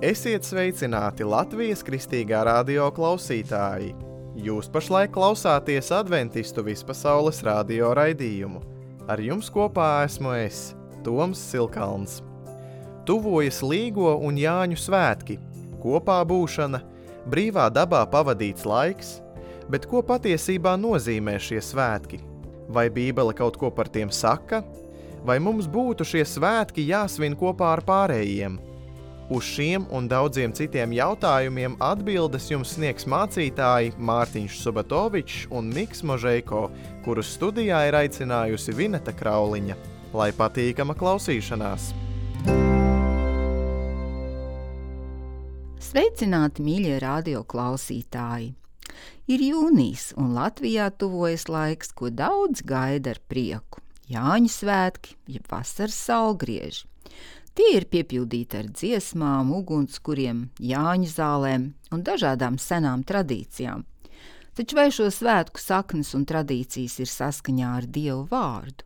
Esiet sveicināti Latvijas Kristīgā radio klausītāji! Jūs pašlaik klausāties Adventistu vispasaules radio raidījumu. Ar jums kopā esmu es, Toms Silkalns. Tuvojas Līgo un Jāņu svētki, kopā būšana, brīvā dabā pavadīts laiks, bet ko patiesībā nozīmē šie svētki? Vai Bībele kaut ko par tiem saka? Vai mums būtu šie svētki jāsvin kopā ar pārējiem? Uz šiem un daudziem citiem jautājumiem atbildes jums sniegs mācītāji Mārtiņš Subatovičs un Miks Možeiko, kurus studijā ir aicinājusi Vineta Krauliņa. Lai patīkama klausīšanās! Sveicināti, mīļie radio klausītāji! Ir jūnijas un Latvijā tuvojas laiks, ko daudz gaida ar prieku. Jāņu svētki, jeb vasaras saulgrieži. Tie ir piepildīti ar dziesmām, ugunskuriem, Jāņu zālēm un dažādām senām tradīcijām. Taču vai šo svētku saknes un tradīcijas ir saskaņā ar Dievu vārdu?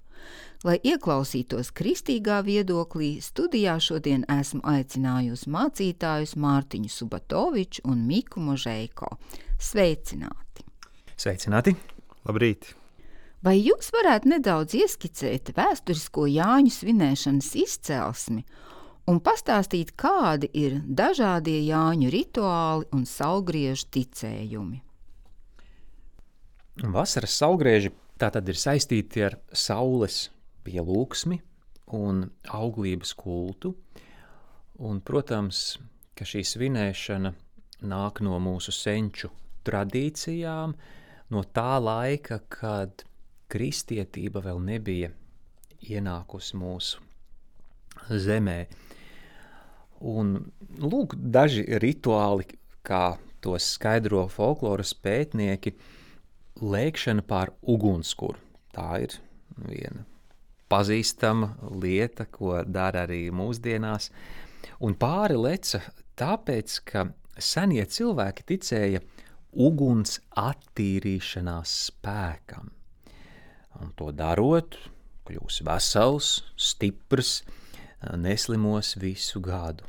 Lai ieklausītos kristīgā viedoklī, studijā šodien esmu aicinājusi mācītājus Mārtiņu Subatoviču un Miku Možeiko. Sveicināti! Sveicināti! Labrīt! Vai jūs varētu nedaudz ieskicēt vēsturisko Jāņu svinēšanas izcelsmi un pastāstīt, kādi ir dažādie Jāņu rituāli un saulgriežu ticējumi? Vasaras saulgrieži tātad ir saistīti ar saules pielūgsmi un auglības kultu. Un, protams, ka šī svinēšana nāk no mūsu senču tradīcijām, no tā laika, kad kristietība vēl nebija ienākusi mūsu zemē. Un lūk, daži rituāli, kā tos skaidro folkloras pētnieki, lēkšana pār ugunskuru. Tā ir viena pazīstama lieta, ko dara arī mūsdienās. Un pāri leca tāpēc, ka senie cilvēki ticēja uguns attīrīšanās spēkam. Un to darot, kļūs vesels, stiprs, neslimos visu gadu.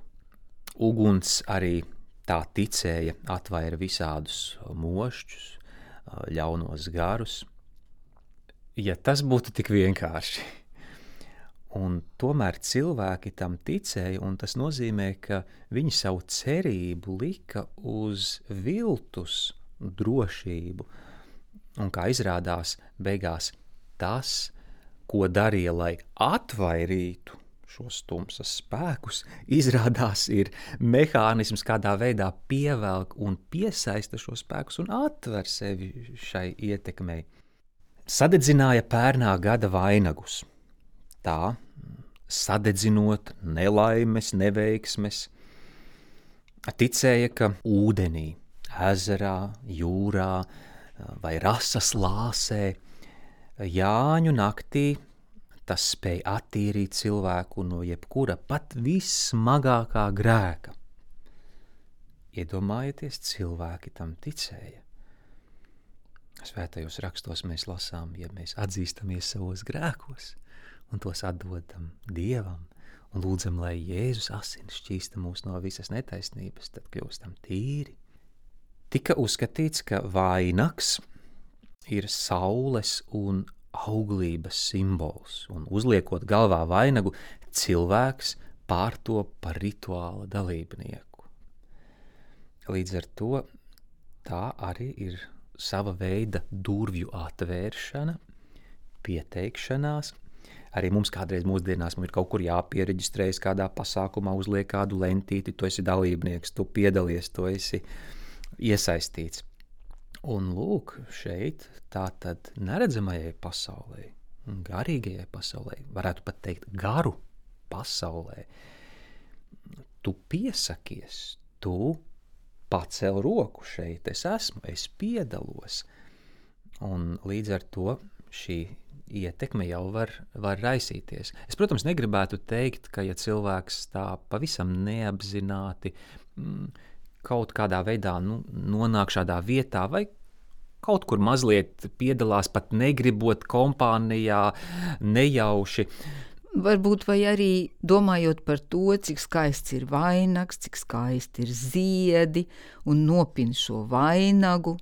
Uguns arī tā ticēja atvaira visādus mošķus, ļaunos garus. Ja tas būtu tik vienkārši. Un tomēr cilvēki tam ticēja, un tas nozīmē, ka viņi savu cerību lika uz viltus drošību. Un kā izrādās, beigās tas, ko darīja, lai atvairītu šos tumsas spēkus, izrādās ir mehānisms, kādā veidā pievelk un piesaista šos spēkus un atver sevi šai ietekmei. Sadedzināja pērnā gada vainagus. Tā, sadedzinot nelaimes, neveiksmes, ticēja, ka ūdenī, ezerā, jūrā vai rasas lāsē Jāņu naktī tas spēj attīrīt cilvēku no jebkura pat vissmagākā grēka. Iedomājieties, cilvēki tam ticēja. Svētajos rakstos mēs lasām, ja mēs atzīstamies savos grēkos un tos atdodam Dievam un lūdzam, lai Jēzus asins šķīsta mūs no visas netaisnības, tad kļūstam tīri. Tika uzskatīts, ka vainags ir saules un auglības simbols, un uzliekot galvā vainagu, cilvēks pārtop par rituāla dalībnieku. Līdz ar to tā arī ir sava veida durvju atvēršana, pieteikšanās. Arī mums kādreiz mūsdienās ir kaut kur jāpiereģistrējas kādā pasākumā, uzliek kādu lentīti, tu esi dalībnieks, tu piedalies, tu esi iesaistīts. Un lūk, šeit tātad neredzamajai pasaulē, garīgajai pasaulē, varētu pat teikt garu pasaulē, tu piesakies, tu pacel roku šeit, es esmu, es piedalos. Un līdz ar to šī ietekme jau var raisīties. Es, protams, negribētu teikt, ka ja cilvēks tā pavisam neapzināti kaut kādā veidā nonāk šādā vietā vai kaut kur mazliet piedalās pat negribot kompānijā nejauši, Varbūt vai arī domājot par to, cik skaists ir vainags, cik skaisti ir ziedi un nopin šo vainagu.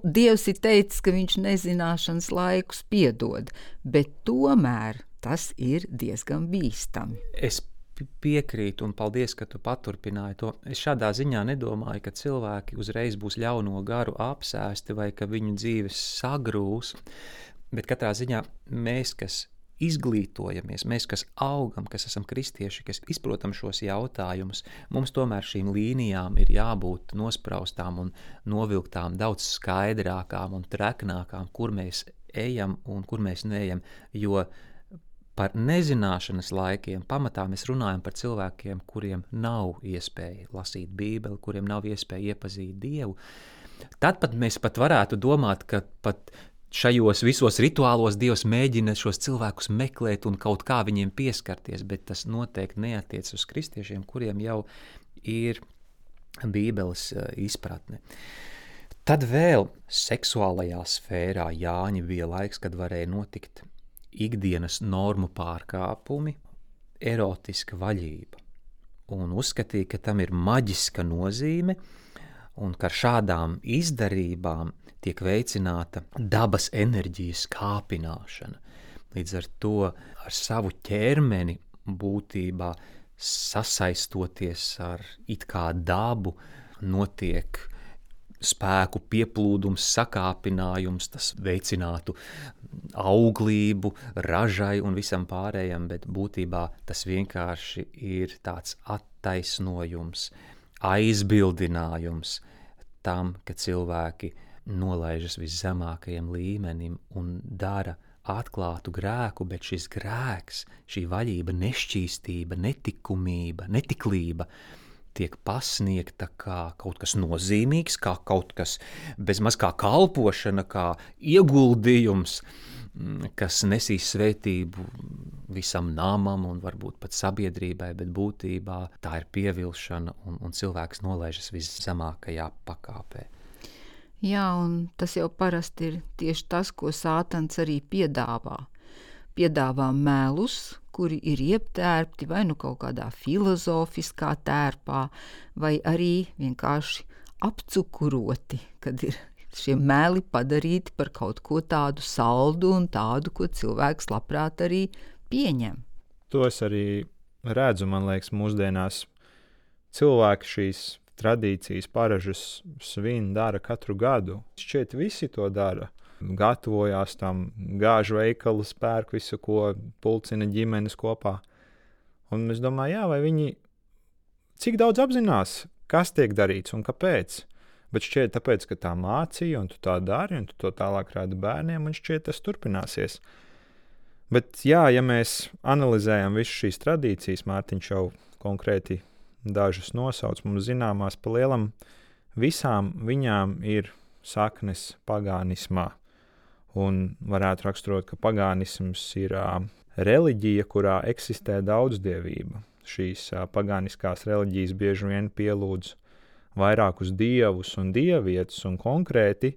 Dievs ir teicis, ka viņš nezināšanas laikus piedod, bet tomēr tas ir diezgan bīstami. Es piekrītu un paldies, ka tu paturpināji to. Es šādā ziņā nedomāju, ka cilvēki uzreiz būs ļauno garu apsēsti vai ka viņu dzīves sagrūs, bet katrā ziņā mēs, kas izglītojamies, mēs, kas augam, kas esam kristieši, kas izprotam šos jautājumus, mums tomēr šīm līnijām ir jābūt nospraustām un novilktām daudz skaidrākām un treknākām, kur mēs ejam un kur mēs neejam, jo par nezināšanas laikiem pamatā mēs runājam par cilvēkiem, kuriem nav iespēja lasīt Bībeli, kuriem nav iespēja iepazīt Dievu. Tad pat mēs pat varētu domāt, ka pat šajos visos rituālos Dievs mēģina šos cilvēkus meklēt un kaut kā viņiem pieskarties, bet tas noteikti neatiec uz kristiešiem, kuriem jau ir Bībeles izpratne. Tad vēl seksuālajā sfērā Jāņa bija laiks, kad varēja notikt ikdienas normu pārkāpumi, erotiska vaļība. Un uzskatīja, ka tam ir maģiska nozīme un ka ar šādām izdarībām tiek veicināta dabas enerģijas kāpināšana. Līdz ar to ar savu ķermeni būtībā sasaistoties ar it kā dabu notiek spēku pieplūdums, sakāpinājums, tas veicinātu auglību, ražai un visam pārējam, bet būtībā tas vienkārši ir tāds attaisnojums, aizbildinājums tam, ka cilvēki nolaižas viszemākajam līmenim un dara atklātu grēku, bet šis grēks, šī vaļība, nešķīstība, netikumība, netiklība tiek pasniegta kā kaut kas nozīmīgs, kā kaut kas bezmaz kā kalpošana, kā ieguldījums, kas nesīs svētību visam namam un varbūt pat sabiedrībai, bet būtībā tā ir pievilšana un cilvēks nolaižas viszemākajā pakāpē. Jā, un tas jau parasti ir tieši tas, ko Sātans arī piedāvā. Piedāvā melus, kuri ir ieptērpti vai kaut kādā filozofiskā tērpā, vai arī vienkārši apcukuroti, kad ir šie meli padarīti par kaut ko tādu saldu un tādu, ko cilvēks labprāt arī pieņem. To es arī redzu, man liekas, mūsdienās cilvēki šīs tradīcijas, paražas svin dara katru gadu. Šķiet visi to dara. Gatavojās tam, gāž veikalus, pērk visu, ko pulcina ģimenes kopā. Un es domāju, vai viņi cik daudz apzinās, kas tiek darīts un kāpēc. Bet šķiet tāpēc, ka tā mācīja un tu tā dari un tu to tālāk rādi bērniem un šķiet tas turpināsies. Bet jā, ja mēs analizējam visu šīs tradīcijas, Mārtiņš jau konkrēti dažas nosauc, mums zināmās pa lielam, visām viņām ir saknes pagānismā. Un varētu raksturot, ka pagānisms ir reliģija, kurā eksistē daudzdievība. Šīs pagāniskās reliģijas bieži vien pielūdz vairākus dievus un dievietes un konkrēti,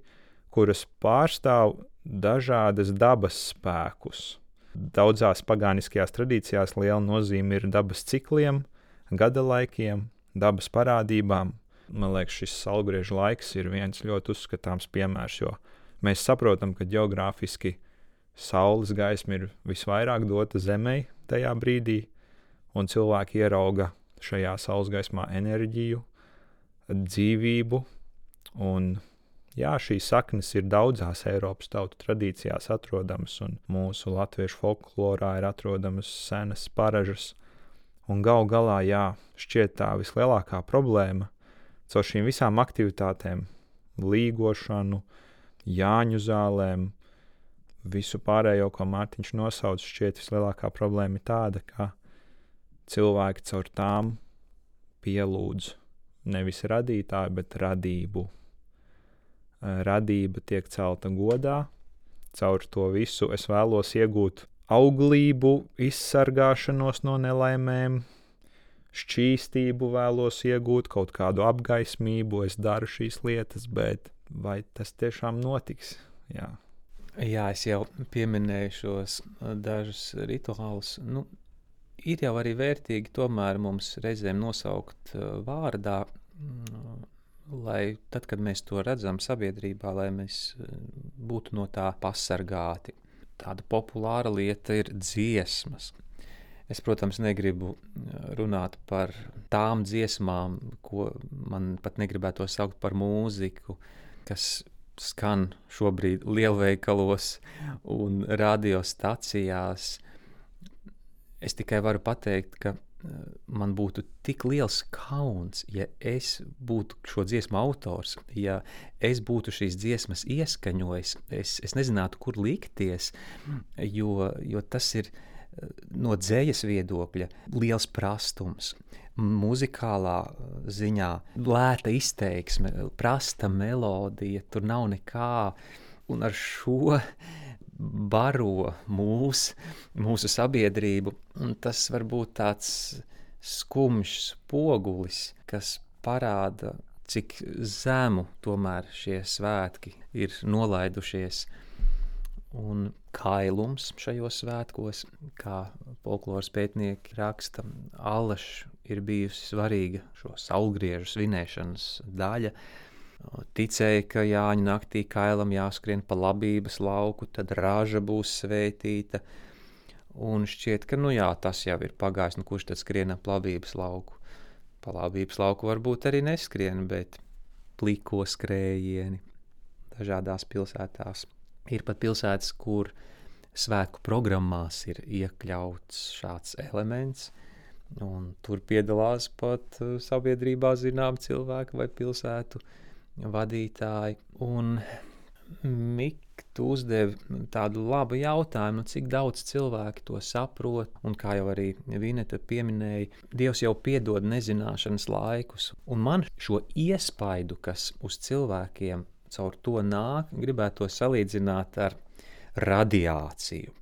kuras pārstāv dažādas dabas spēkus. Daudzās pagāniskajās tradīcijās liela nozīme ir dabas cikliem, gada laikiem, dabas parādībām. Man liekas, šis saulgriežu laiks ir viens ļoti uzskatāms piemērs, jo mēs saprotam, ka ģeogrāfiski saules gaisma ir visvairāk dota Zemei tajā brīdī, un cilvēki ierauga šajā saules gaismā enerģiju, dzīvību, un jā, šīs saknes ir daudzās Eiropas tautu tradīcijās atrodamas, un mūsu latviešu folklorā ir atrodamas senas paražas. Un gal galā, jā, šķiet tā vislielākā problēma caur šīm visām aktivitātēm, līgošanu, Jāņu zālēm, visu pārējo, ko Mārtiņš nosauc, šķiet vislielākā problēma ir tāda, ka cilvēki caur tām pielūdz nevis radītāju, bet radību. Radība tiek celta godā, caur to visu es vēlos iegūt auglību, izsargāšanos no nelaimēm, šķīstību vēlos iegūt, kaut kādu apgaismību, es daru šīs lietas, bet vai tas tiešām notiks? Jā. Jā, es jau pieminēju šos dažus rituālus. Ir jau arī vērtīgi tomēr mums reizēm nosaukt vārdā, lai tad, kad mēs to redzam sabiedrībā, lai mēs būtu no tā pasargāti. Tāda populāra lieta ir dziesmas. Es, protams, negribu runāt par tām dziesmām, ko man pat negribētu saukt par mūziku, kas skan šobrīd lielveikalos un radiostacijās. Es tikai varu pateikt, ka man būtu tik liels kauns, ja es būtu šo dziesmu autors, ja es būtu šīs dziesmas ieskaņojis, es nezinātu, kur likties, jo tas ir no dzējas viedokļa liels prastums. Muzikālā ziņā lēta izteiksme, prasta melodija, tur nav nekā, un ar šo baro mūsu sabiedrību, un tas var būt tāds skumjš spogulis, kas parāda, cik zemu tomēr šie svētki ir nolaidušies. Un kailums šajos svētkos, kā folkloras pētnieki raksta, allaž ir bijusi svarīga šo saulgriežu svinēšanas daļa. Ticēja, ka Jāņu naktī kailam jāskrien pa labības lauku, tad raža būs svētīta. Un šķiet, ka tas jau ir pagājis, kurš tad skrien ap labības lauku. Pa labības lauku varbūt arī neskrien, bet pliko skrējieni dažādās pilsētās. Ir pat pilsētas, kur svētku programmās ir iekļauts šāds elements, un tur piedalās pat sabiedrībā zinām cilvēki vai pilsētu vadītāji. Un Mik, tu uzdevi tādu labu jautājumu, cik daudz cilvēki to saprot, un kā jau arī Vineta pieminēja, Dievs jau piedod nezināšanas laikus, un man šo iespaidu, kas uz cilvēkiem caur to nāk, gribētu to salīdzināt ar radiāciju.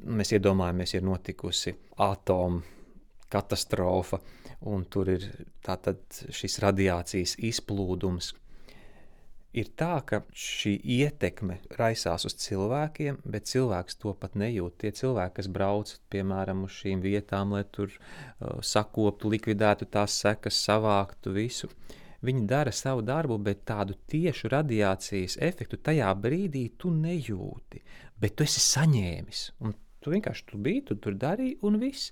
Mēs iedomājamies, ir notikusi atomu katastrofa, un tur ir tātad šis radiācijas izplūdums. Ir tā, ka šī ietekme raisās uz cilvēkiem, bet cilvēks to pat nejūt. Tie cilvēki, kas brauc, piemēram, uz šīm vietām, lai tur sakoptu, likvidētu tās sekas, savāktu visu, viņi dara savu darbu, bet tādu tiešu radiācijas efektu tajā brīdī tu nejūti, bet tu esi saņēmis. Un tu vienkārši tu tur darīji un viss.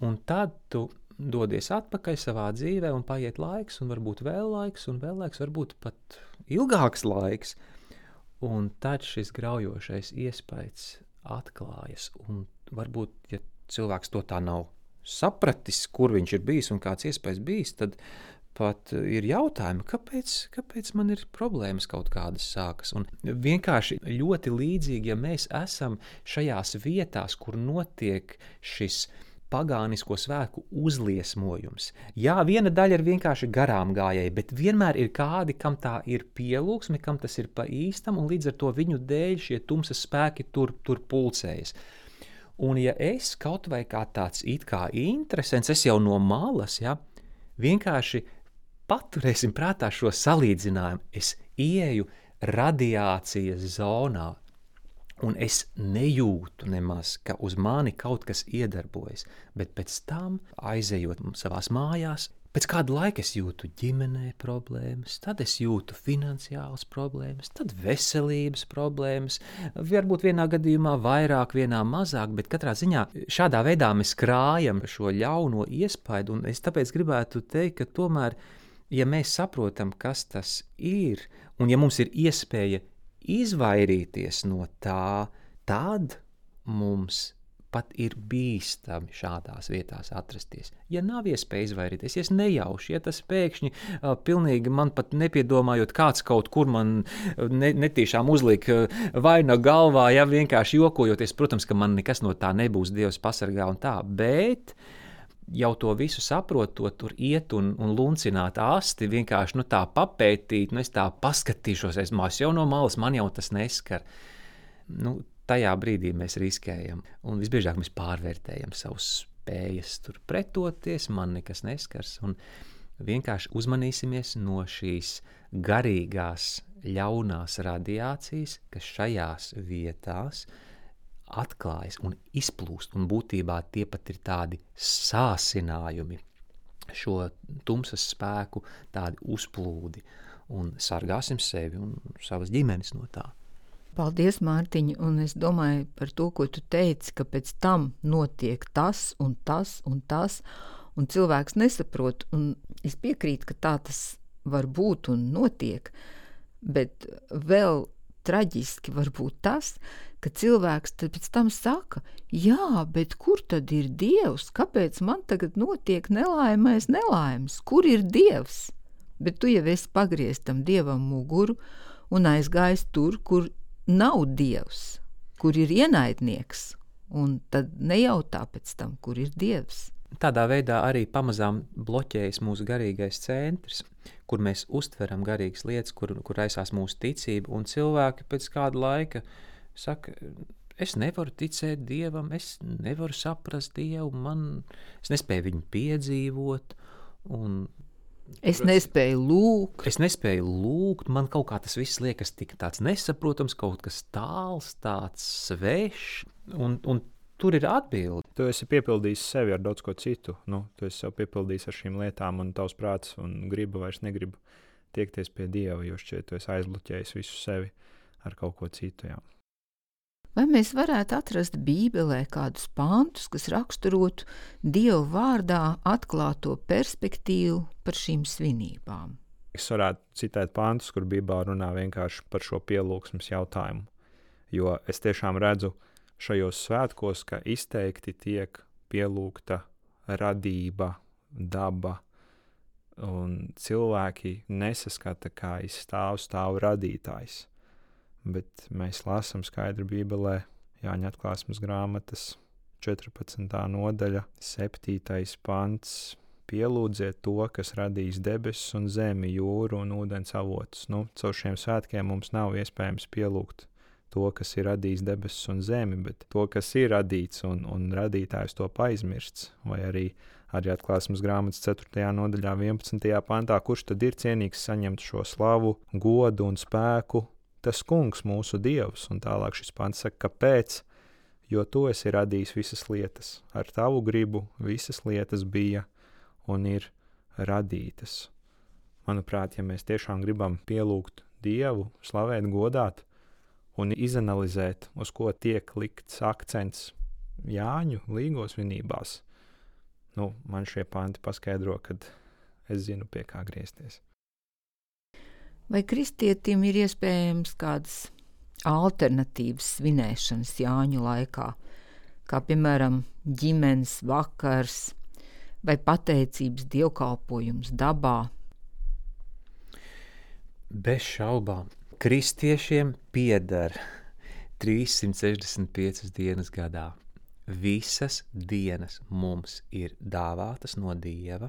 Un tad tu dodies atpakaļ savā dzīvē un paiet laiks, un varbūt vēl laiks, varbūt pat ilgāks laiks. Un tad šis graujošais iespējas atklājas. Un varbūt, ja cilvēks to tā nav sapratis, kur viņš ir bijis un kāds iespējas bijis, tad pat ir jautājumi, kāpēc man ir problēmas kaut kādas sākas. Un vienkārši ļoti līdzīgi, ja mēs esam šajās vietās, kur notiek šis pagānisko svētku uzliesmojums. Jā, viena daļa ir vienkārši garām gājēji, bet vienmēr ir kādi, kam tā ir pielūgsme, kam tas ir pa īstam, un līdz ar to viņu dēļ šie tumsas spēki tur pulcējas. Un ja es kaut vai kā tāds it kā interesants, es jau no malas, vienkārši paturēsim prātā šo salīdzinājumu. Es ieeju radiācijas zonā, un es nejūtu nemaz, ka uz mani kaut kas iedarbojas, bet pēc tam, aizejot savās mājās, pēc kāda laika es jūtu ģimenē problēmas, tad es jūtu finansiālas problēmas, tad veselības problēmas, varbūt vienā gadījumā vairāk, vienā mazāk, bet katrā ziņā šādā veidā mēs krājam šo ļauno iespaidu, un es tāpēc gribētu teikt, ka tomēr, ja mēs saprotam, kas tas ir, un ja mums ir iespēja izvairīties no tā, tad mums pat ir bīstami šādās vietās atrasties. Ja nav iespēja izvairīties, ja es nejauši, ja tas pēkšņi pilnīgi man pat nepiedomājot, kāds kaut kur man netīšām uzlika vaina galvā, ja vienkārši jokojoties, protams, ka man nekas no tā nebūs, Dievs pasargā un tā, bet jau to visu saprotot, tur iet un luncināt asti, vienkārši tā papētīt, es tā paskatīšos, es jau no malas, man jau tas neskar. Tajā brīdī mēs riskējam, un visbiežāk mēs pārvērtējam savus spējas tur pretoties, man nekas neskars, un vienkārši uzmanīsimies no šīs garīgās ļaunās radiācijas, kas šajās vietās atklājas un izplūst, un būtībā tie pat ir tādi sāsinājumi, šo tumsas spēku tādi uzplūdi, un sargāsim sevi un savas ģimenes no tā. Paldies, Mārtiņ, un es domāju par to, ko tu teici, ka pēc tam notiek tas un tas un tas, un cilvēks nesaprot, un es piekrītu, ka tā tas var būt un notiek, bet vēl traģiski var būt tas, ka cilvēks tad pēc tam saka, jā, bet kur tad ir Dievs? Kāpēc man tagad notiek nelaimes? Kur ir Dievs? Bet tu jau esi pagriezis tam Dievam muguru un aizgājis tur, kur nav Dievs, kur ir ienaidnieks, un tad nejautā pēc tam, kur ir Dievs. Tādā veidā arī pamazām bloķējas mūsu garīgais centrs, kur mēs uztveram garīgas lietas, kur aizsās mūsu ticība, un cilvēki pēc kāda laika saka, es nevaru ticēt Dievam, es nevaru saprast Dievu, es nespēju viņu piedzīvot, un Es nespēju lūgt, man kaut kā tas viss liekas tik tāds nesaprotams, kaut kas tāls, tāds svešs, un tur ir atbildi. Tu esi piepildījis sevi ar daudz ko citu, tu esi sev piepildījis ar šīm lietām, un tavs prāts un griba vairs negrib tiekties pie Dieva, jo šķiet, tu esi aizbloķējis visu sevi ar kaut ko citu, jā. Vai mēs varētu atrast Bībelē kādus pantus, kas raksturotu Dieva vārdā atklāto perspektīvu par šīm svinībām? Es varētu citēt pantus, kur Bībelē runā vienkārši par šo pielūgsmes jautājumu, jo es tiešām redzu šajos svētkos, ka izteikti tiek pielūgta radība, daba, un cilvēki nesaskata, kā stāv radītājs. Bet mēs lasām skaidri Bībelē, Jāņa atklāsmes grāmatas 14. nodaļa, 7. pants. Pielūdziet to, kas radījis debesis un zemi, jūru un ūdens avotus. Caur šiem svētkiem mums nav iespējams pielūgt to, kas ir radījis debesis un zemi, bet to, kas ir radīts un radītājs to aizmirsts. Vai arī atklāsmes grāmatas 4. nodaļā, 11. pantā, kurš tad ir cienīgs saņemt šo slavu, godu un spēku? Tas kungs, mūsu Dievs, un tālāk šis pants saka, kāpēc? Jo tu esi radījis visas lietas. Ar tavu gribu visas lietas bija un ir radītas. Manuprāt, ja mēs tiešām gribam pielūgt Dievu, slavēt, godāt un izanalizēt, uz ko tiek likts akcents Jāņu līgo svinībās, man šie panti paskaidro, kad es zinu, pie kā griezties. Vai kristietim ir iespējams kādas alternatīvas svinēšanas Jāņu laikā, kā piemēram ģimenes vakars vai pateicības dievkalpojums dabā? Bez šaubām, kristiešiem pieder 365 dienas gadā. Visas dienas mums ir dāvātas no Dieva,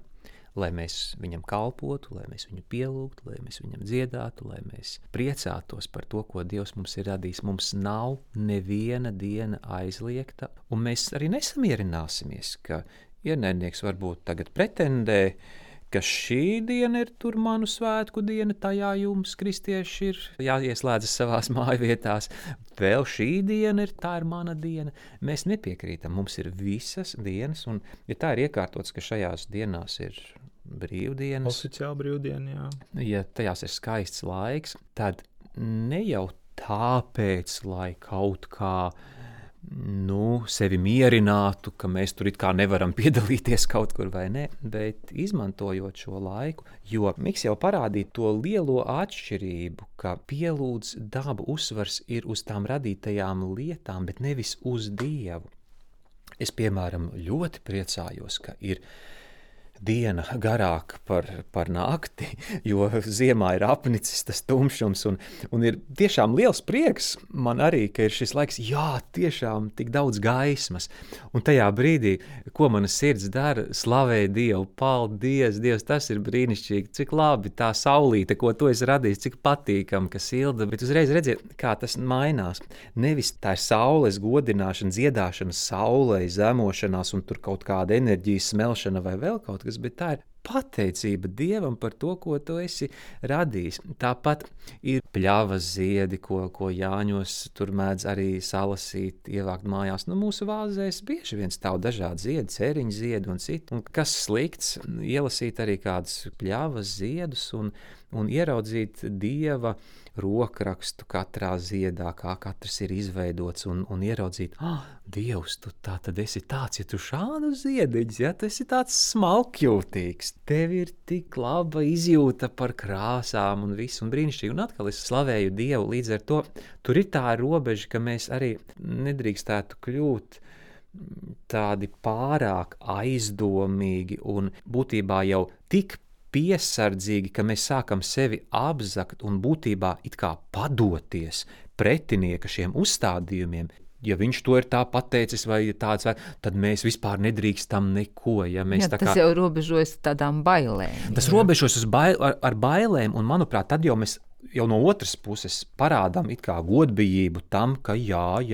lai mēs viņam kalpotu, lai mēs viņu pielūgtu, lai mēs viņam dziedātu, lai mēs priecātos par to, ko Dievs mums ir radījis. Mums nav neviena diena aizliegta, un mēs arī nesamierināsimies, ka ienaidnieks varbūt tagad pretendē, ka šī diena ir tur manu svētku diena, tajā jums, kristieši, ir jāieslēdzas savās mājvietās. Vēl šī diena tā ir mana diena. Mēs nepiekrītam, mums ir visas dienas, un ja tā ir iekārtots, ka šajās dienās ir brīvdienas. Oficiāli brīvdiena, jā. Ja tajās ir skaists laiks, tad ne jau tāpēc, lai kaut kā sevi mierinātu, ka mēs tur it kā nevaram piedalīties kaut kur vai ne, bet izmantojot šo laiku, jo Miks jau parādīja to lielo atšķirību, ka pielūdz dabu uzsvars ir uz tām radītajām lietām, bet nevis uz Dievu. Es, piemēram, ļoti priecājos, ka ir diena garāka par nakti, jo ziemā ir apnicis tas tumšums, un ir tiešām liels prieks man arī, ka ir šis laiks, jā, tiešām tik daudz gaismas, un tajā brīdī, ko mana sirds dara, slavē Dievu, paldies, Dievs, tas ir brīnišķīgi, cik labi tā saulīte, ko tu esi radījis, cik patīkam, ka silda, bet uzreiz redziet, kā tas mainās. Nevis tā ir saules godināšana, dziedāšana saulei, zemošanās un tur kaut kāda enerģijas smelšana vai vēl kaut kas, bet tā ir pateicība Dievam par to, ko tu esi radījis. Tāpat ir pļavas ziedi, ko Jāņos tur mēdz arī salasīt, ievākt mājās. Mūsu vāzēs bieži vien stāv dažādi ziedi, cēriņu ziedi un citi. Un kas slikts, ielasīt arī kādus pļavas ziedus un ieraudzīt Dieva rokrakstu katrā ziedā, kā katrs ir izveidots, un ieraudzīt, Dievs, tu tā tad esi tāds, ja tu šādu ziediņus, ja tu esi tāds smalkjūtīgs, tev ir tik laba izjūta par krāsām un visu, un brīnišķīgi, un atkal es slavēju Dievu, līdz ar to tur ir tā robeža, ka mēs arī nedrīkstētu kļūt tādi pārāk aizdomīgi un būtībā jau tik piesardzīgi, ka mēs sākam sevi apzakt un būtībā it kā padoties pretinieka šiem uzstādījumiem. Ja viņš to ir tā pateicis vai tāds, tad mēs vispār nedrīkstam neko. Ja mēs tas jau robežojas tādām bailēm. Tas robežojas ar bailēm, un manuprāt, tad jau mēs jau no otras puses parādām it kā godbijību tam, ka jā,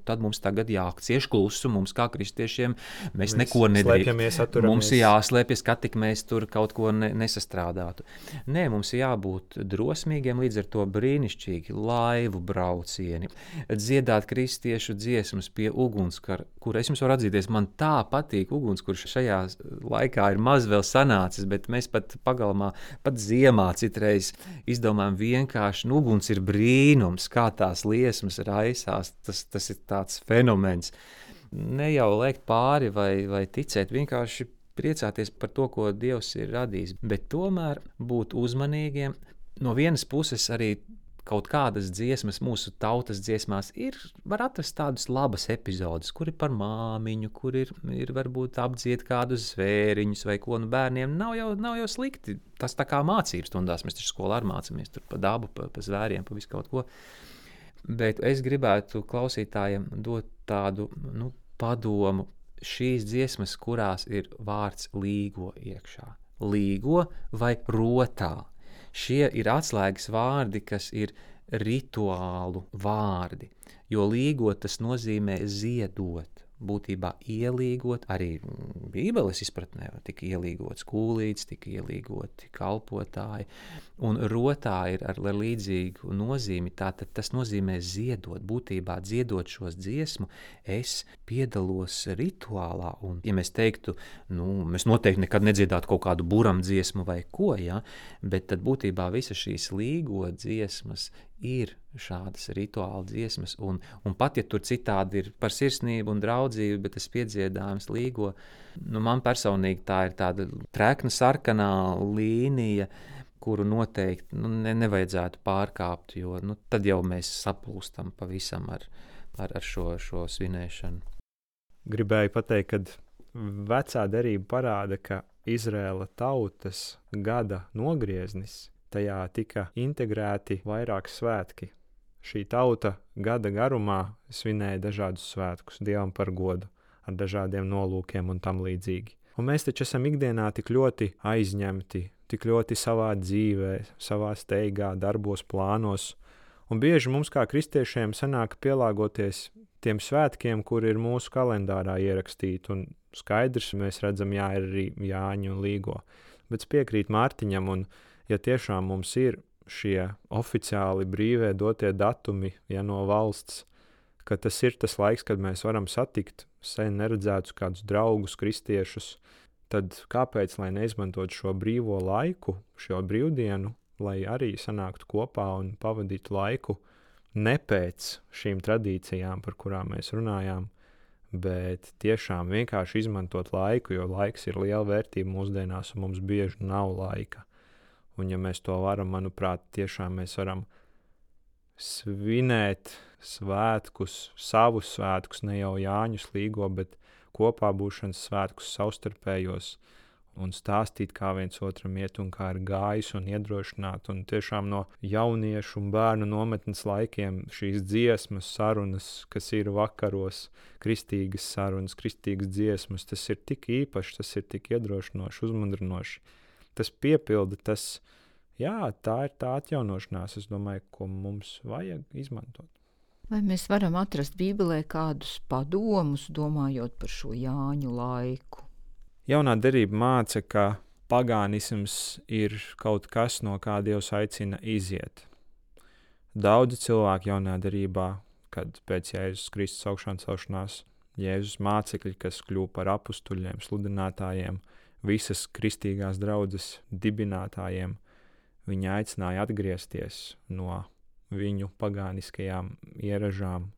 tad mums tagad jācieš klusu, mums kā kristiešiem, mēs neko nedrīkst. Mums ir jāslēpjas, ka tik mēs tur kaut ko nesastrādātu. Nē, mums ir jābūt drosmīgiem, līdz ar to brīnišķīgi laivu braucieni, dziedāt kristiešu dziesmas pie ugunskura, kur es jums varu atzīties, man tā patīk ugunskurs šajā laikā ir maz vēl sanācis, bet mēs pat pagalmā, pat ziemā citreiz izdomājam vienkārši, uguns ir brīnums, kā tās liesmas raisās, tas ir tāds fenomens. Ne jau lēkt pāri vai ticēt, vienkārši priecāties par to, ko Dievs ir radījis, bet tomēr būt uzmanīgiem. No vienas puses arī kaut kādas dziesmas mūsu tautas dziesmās var atrast tādas labas epizodes, kur ir par māmiņu, kur ir varbūt apdzied kādus zvēriņus vai ko, bērniem nav jau slikti. Tas tā kā mācības stundās, mēs taču skolā arī mācāmies tur pa dabu, pa zvēriem, pa visu kaut ko. Bet es gribētu klausītājiem dot tādu padomu, šīs dziesmas, kurās ir vārds līgo iekšā. Līgo vai rotā. Šie ir atslēgas vārdi, kas ir rituālu vārdi, jo līgot tas nozīmē ziedot, būtībā ielīgot, arī Bībeles izpratnē tika ielīgots kūlīts, tika ielīgoti kalpotāji, un rotā ir ar līdzīgu nozīmi, tātad tas nozīmē ziedot, būtībā dziedot šos dziesmu, es piedalos rituālā, un ja mēs teiktu, mēs noteikti nekad nedziedātu kaut kādu buram dziesmu vai ko, ja, bet tad būtībā visas šīs līgo dziesmas ir šādas rituāla dziesmas, un pat, ja tur citādi ir par sirsnību un draudzību, bet tas piedziedājums līgo, man personīgi tā ir tāda trekna sarkanā līnija, kuru noteikti nevajadzētu pārkāpt, jo tad jau mēs saplūstam pavisam ar šo svinēšanu. Gribēju pateikt, ka vecā derība parāda, ka Izraēla tautas gada nogrieznis, tajā tika integrēti vairāk svētki. Šī tauta gada garumā svinēja dažādus svētkus Dievam par godu, ar dažādiem nolūkiem un tam līdzīgi. Un mēs taču esam ikdienā tik ļoti aizņemti, tik ļoti savā dzīvē, savā steigā, darbos, plānos. Un bieži mums kā kristiešiem sanāk pielāgoties tiem svētkiem, kur ir mūsu kalendārā ierakstīti. Un skaidrs, mēs redzam, ir arī Jāņu un Līgo. Bet es piekrītu Mārtiņam, un ja tiešām mums ir šie oficiāli brīvē dotie datumi, no valsts, ka tas ir tas laiks, kad mēs varam satikt sen neredzētus kādus draugus, kristiešus, tad kāpēc, lai neizmantot šo brīvo laiku, šo brīvdienu, lai arī sanāktu kopā un pavadītu laiku ne pēc šīm tradīcijām, par kurām mēs runājām, bet tiešām vienkārši izmantot laiku, jo laiks ir liela vērtība mūsdienās un mums bieži nav laika. Un ja mēs to varam, manuprāt, tiešām mēs varam svinēt svētkus, savus svētkus, ne jau Jāņus Līgo, bet kopā būšanas svētkus savstarpējos un stāstīt, kā viens otram iet un kā ir gājis un iedrošināt. Un tiešām no jauniešu un bērnu nometnes laikiem šīs dziesmas, sarunas, kas ir vakaros, kristīgas sarunas, kristīgas dziesmas, tas ir tik īpaši, tas ir tik iedrošinoši, uzmundrinoši. Tas piepilda, tā ir tā atjaunošanās, es domāju, ko mums vajag izmantot. Vai mēs varam atrast Bībelē kādus padomus, domājot par šo Jāņu laiku? Jaunā derība māca, ka pagānisms ir kaut kas, no kā Dievs aicina iziet. Daudzi cilvēki jaunajā derībā, kad pēc Jēzus Kristus augšām celšanās, Jēzus mācekļi, kas kļuva par apustuļiem, sludinātājiem, visas kristīgās draudzes dibinātājiem, viņi aicināja atgriezties no viņu pagāniskajām ieražām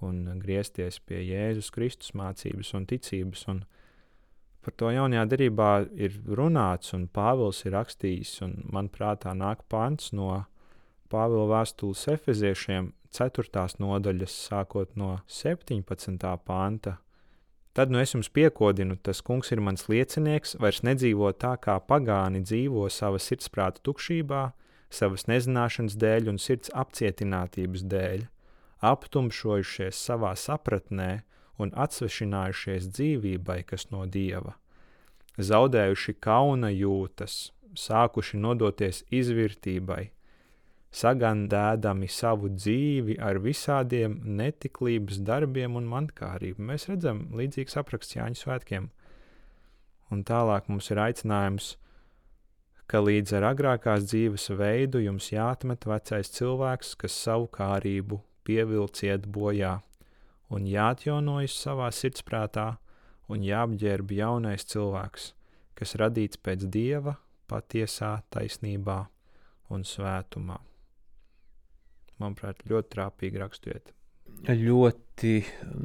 un griezties pie Jēzus Kristus mācības un ticības. Un par to jaunajā derībā ir runāts, un Pāvils ir rakstījis, un man prātā nāk pants no Pāvila vēstules Efeziešiem 4. nodaļas, sākot no 17. panta. Tad es jums piekodinu, tas kungs ir mans liecinieks, vairs nedzīvo tā, kā pagāni dzīvo sava sirdsprāta tukšībā, savas nezināšanas dēļ un sirds apcietinātības dēļ, aptumšojušies savā sapratnē un atsvešinājušies dzīvībai, kas no Dieva, zaudējuši kauna jūtas, sākuši nodoties izvirtībai, sagandēdami savu dzīvi ar visādiem netiklības darbiem un mantkārību. Mēs redzam līdzīgs apraksts Jāņu svētkiem. Un tālāk mums ir aicinājums, ka līdz ar agrākās dzīves veidu jums jāatmet vecais cilvēks, kas savu kārību pievilciet bojā, un jāatjaunojas savā sirdsprātā, un jāapģērb jaunais cilvēks, kas radīts pēc Dieva patiesā taisnībā un svētumā. Manuprāt, ļoti trāpīgi raksturiet. Ļoti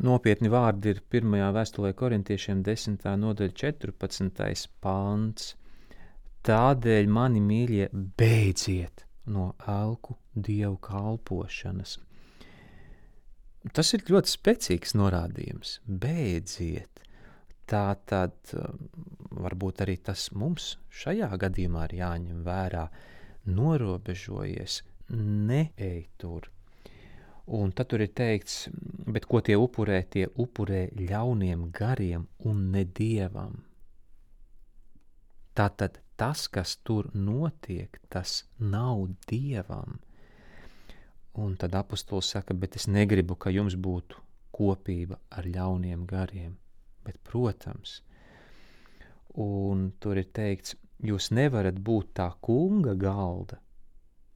nopietni vārdi ir 1. vēstulē korintiešiem 10. nodaļa 14. pants. Tādēļ, mani mīļie, beidziet no elku dievu kalpošanas. Tas ir ļoti spēcīgs norādījums. Beidziet. Tātad varbūt arī tas mums šajā gadījumā ir jāņem vērā. Norobežojies, neej tur. Un tad tur ir teikts, bet ko tie upurē ļauniem gariem un ne Dievam. Tātad tas, kas tur notiek, tas nav Dievam. Un tad apostols saka, bet es negribu, ka jums būtu kopība ar ļauniem gariem. Bet, protams, un tur ir teikts, jūs nevarat būt tā kunga galda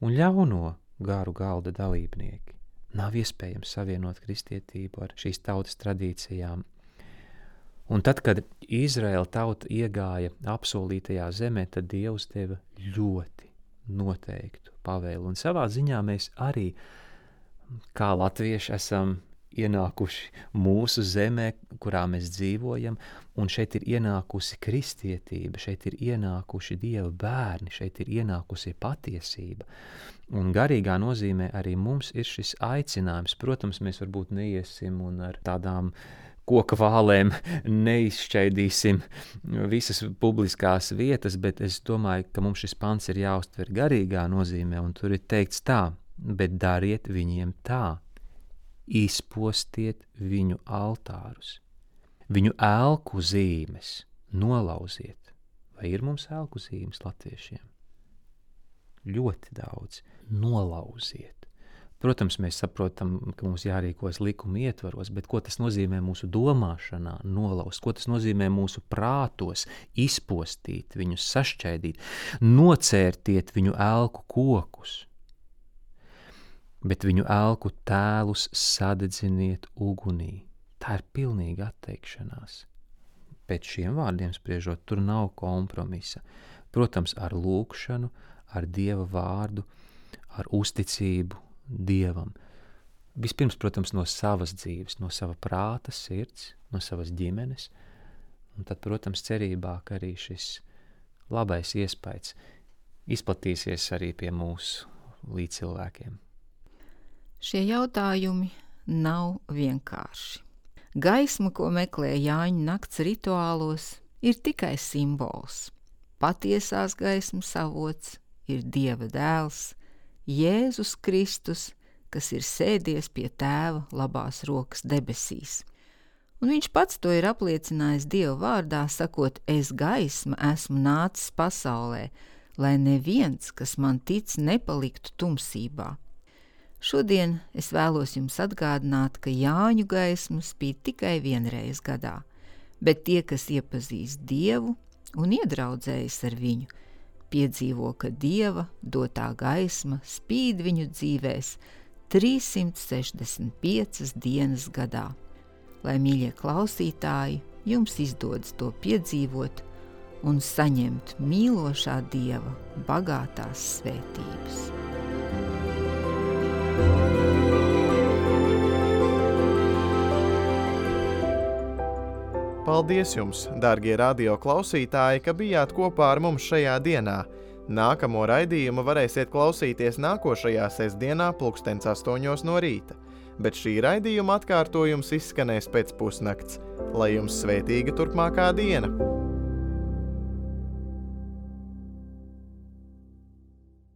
un ļauno garu galda dalībnieki. Nav iespējams savienot kristietību ar šīs tautas tradīcijām. Un tad, kad Izraēla tauta iegāja apsolītajā zemē, tad Dievs deva ļoti noteiktu pavēlu. Un savā ziņā mēs arī, kā latvieši, esam ienākuši mūsu zemē, kurā mēs dzīvojam, un šeit ir ienākusi kristietība, šeit ir ienākuši Dieva bērni, šeit ir ienākusi patiesība. Un garīgā nozīmē arī mums ir šis aicinājums. Protams, mēs varbūt neiesim un ar tādām koka vālēm neizšķaidīsim visas publiskās vietas, bet es domāju, ka mums šis pants ir jāuztver garīgā nozīmē, un tur ir teikts tā, bet dariet viņiem tā. Izpostiet viņu altārus, viņu elku zīmes nolauziet. Vai ir mums elku zīmes latviešiem? Ļoti daudz. Nolauziet. Protams, mēs saprotam, ka mums jārīkojas likuma ietvaros, bet ko tas nozīmē mūsu domāšanā nolauzt, ko tas nozīmē mūsu prātos izpostīt, viņus sašķaidīt, nocērtiet viņu elku kokus. Bet viņu elku tēlus sadedziniet ugunī. Tā ir pilnīga atteikšanās. Pēc šiem vārdiem spriežot, tur nav kompromisa. Protams, ar lūgšanu, ar Dieva vārdu, ar uzticību Dievam. Vispirms, protams, no savas dzīves, no sava prāta, sirds, no savas ģimenes. Un tad, protams, cerībā, ka arī šis labais iespējas izplatīsies arī pie mūsu līdzcilvēkiem. Šie jautājumi nav vienkārši. Gaisma, ko meklē Jāņu nakts rituālos, ir tikai simbols. Patiesās gaismas avots ir Dieva dēls, Jēzus Kristus, kas ir sēdies pie Tēva labās rokas debesīs. Un viņš pats to ir apliecinājis Dieva vārdā, sakot, es gaisma esmu nācis pasaulē, lai neviens, kas man tic, nepaliktu tumsībā. Šodien es vēlos jums atgādināt, ka Jāņu gaisma spīd tikai vienreiz gadā, bet tie, kas iepazīst Dievu, un iedraudzējas ar viņu, piedzīvo, ka Dieva dotā gaisma spīd viņu dzīvēs 365 dienas gadā. Lai, mīļie klausītāji, jums izdodas to piedzīvot un saņemt mīlošā Dieva bagātās svētības. Paldies jums, dārgie radio klausītāji, ka bijāt kopā ar mums šajā dienā. Nākamo raidījumu varēsiet klausīties nākošajā sestdienā 8:00 no rīta, bet šī raidījuma atkārtojums izskanēs pēc pusnakts. Lai jums svētīga turpmākā diena!